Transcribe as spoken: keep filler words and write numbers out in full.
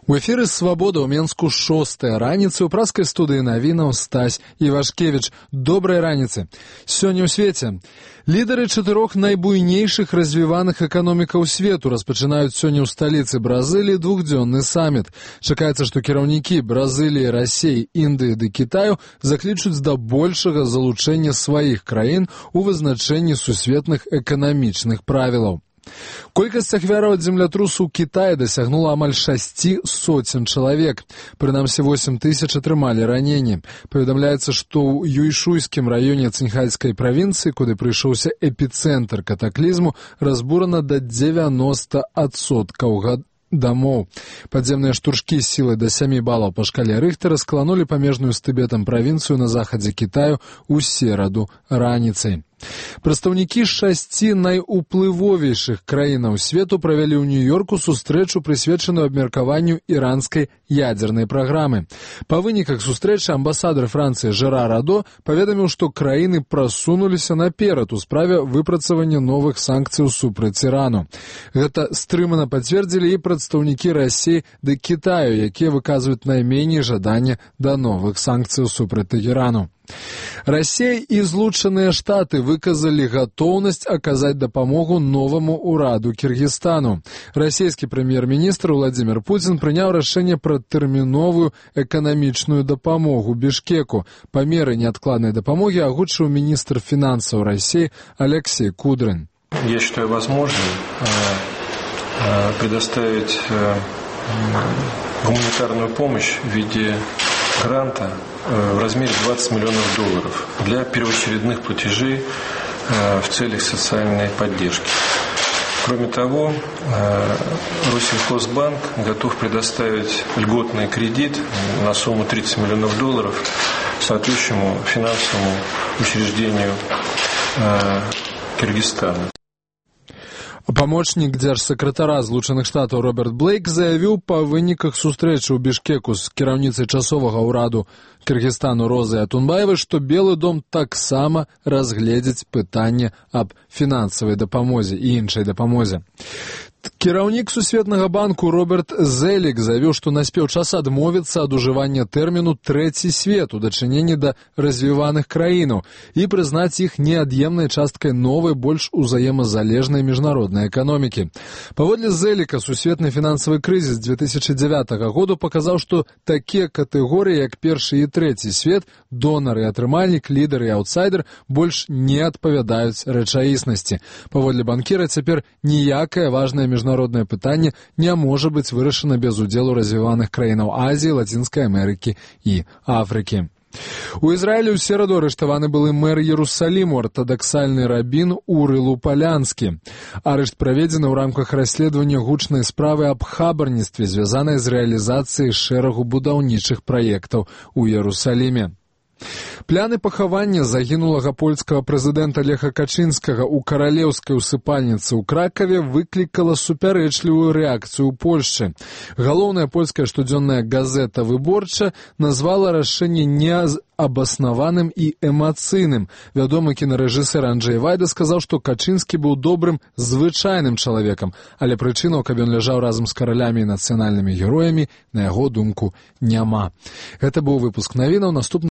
У эфіры «Свабода» ў Менску шостая раніцы ў праскай студыі навінаў Стась Івашкевіч. Добрай раніцы. Сёння ў свеце лідары чатырох найбуйнейшых развіваных эканомікаў свету распачынаюць сёння ў сталіцы Бразыліі двухдзённы саміт. Чакаецца, што кіраўнікі Бразыліі, Расіі, Індыі ды Кітаю заклічуць да большага залучэння сваіх краін у вызначэнні сусветных эканамічных правілаў. Колькасць ахвяраў ад землятрусу ў Кітаі дасягнула амаль шасці соцень чалавек. Прынамсі восем тысяч атрымалі раненні. Паведамляецца, што ў Юйшуйскім раёне Цинхайскай правінцыі, куды прыйшоўся эпіцэнтр катаклізму, разбурана да дзевяноста адсоткаў дамоў. Падземныя штуршкі з сілай да сямі балаў па шкале Рыхтера скаланулі памежную з Тыбетам правінцыю на захадзе Кітаю ў сераду раніцай. Прадстаўнікі шасці найуплывовейшых краінаў свету правялі ў Нью-Йорку сустрэчу, прысвечаную абмеркаванню іранскай ядзернай праграмы. Па выніках сустрэчы амбасадар Францыі Жерар Радо паведаміў, што краіны прасунуліся наперад у справе выпрацавання новых санкцыяў супраць Ірану. Гэта стрымана пацвердзілі і прадстаўнікі Расіі ды Кітаю, якія выказваюць найменей жадання да новых санкцыяў супраць Ірану. Расія і Злучаныя Штаты выказалі гатоўнасць аказаць дапамогу новаму ўраду Кіргізстану. Расійскі прэм'ер-міністр Владзімір Пуцін прыняў рашэнне пра тэрміновую эканамічную дапамогу Бішкеку. Памеры неадкладнай дапамогі агучыў міністр фінансаў Расіі Алексей Кудрин. Я считаю возможным предоставить гуманитарную помощь в виде гранта в размере двадцать миллионов долларов для первоочередных платежей в целях социальной поддержки. Кроме того, Россельхозбанк готов предоставить льготный кредит на сумму тридцать миллионов долларов соответствующему финансовому учреждению Кыргызстана. Памочнік дзяржсакратара Злучаных Штатаў Роберт Блейк заявіў па выніках сустрэчы ў Бішкеку з кіраўніцай часовага ўраду Кыргызстану Розай Атунбаевай, што Белы дом таксама разгледзіць пытанне аб фінансавай дапамозе і іншай дапамозе. Кіраўнік Сусветнага банку Роберт Зелік заявіў, што наспеў час адмовіцца ад ужывання тэрміну «трэці свет» у дачыненні да развіваных краінаў і прызнаць іх неад'емнай часткай новай, больш узаемазалежнай міжнароднай эканомікі. Паводле Зеліка, сусветны фінансавы крызіс дзве тысячы дзявятага году паказаў, што такія катэгорыі, як першы і трэці свет, донар і атрымальнік, лідар і аўтсайдер, больш не адпавядаюць рэчаіснасці. Паводле банкіра, цяпер ніякае важнае міжнароднае пытанне не можа быць вырашана без удзелу развіваных краінаў Азіі, Лацінскай Амерыкі і Афрыкі. У Ізраілі ў сераду арыштаваны былы мэр Ерусаліму, артадаксальны рабін Уры Лупалянскі. Арышт праведзены ў рамках расследавання гучнай справы аб хабарніцтве, звязанай з рэалізацыяй шэрагу будаўнічых праектаў у Ерусаліме. Пляны пахавання загінулага польскага прэзідэнта Леха Качынскага ў каралеўскай усыпальніцы ў Кракаве выклікала супярэчлівую рэакцыю ў Польшчы. Галоўная польская штодзённая газета «Выборча» назвала рашэнне неабаснаваным і эмацыйным. Вядомы кінарэжысэр Анджэй Вайда сказаў, што Качынскі быў добрым, звычайным чалавекам, але прычынаў, каб ён ляжаў разам з каралямі і нацыянальнымі героямі, на яго думку, няма. Гэта быў выпуск навінаў. Наступны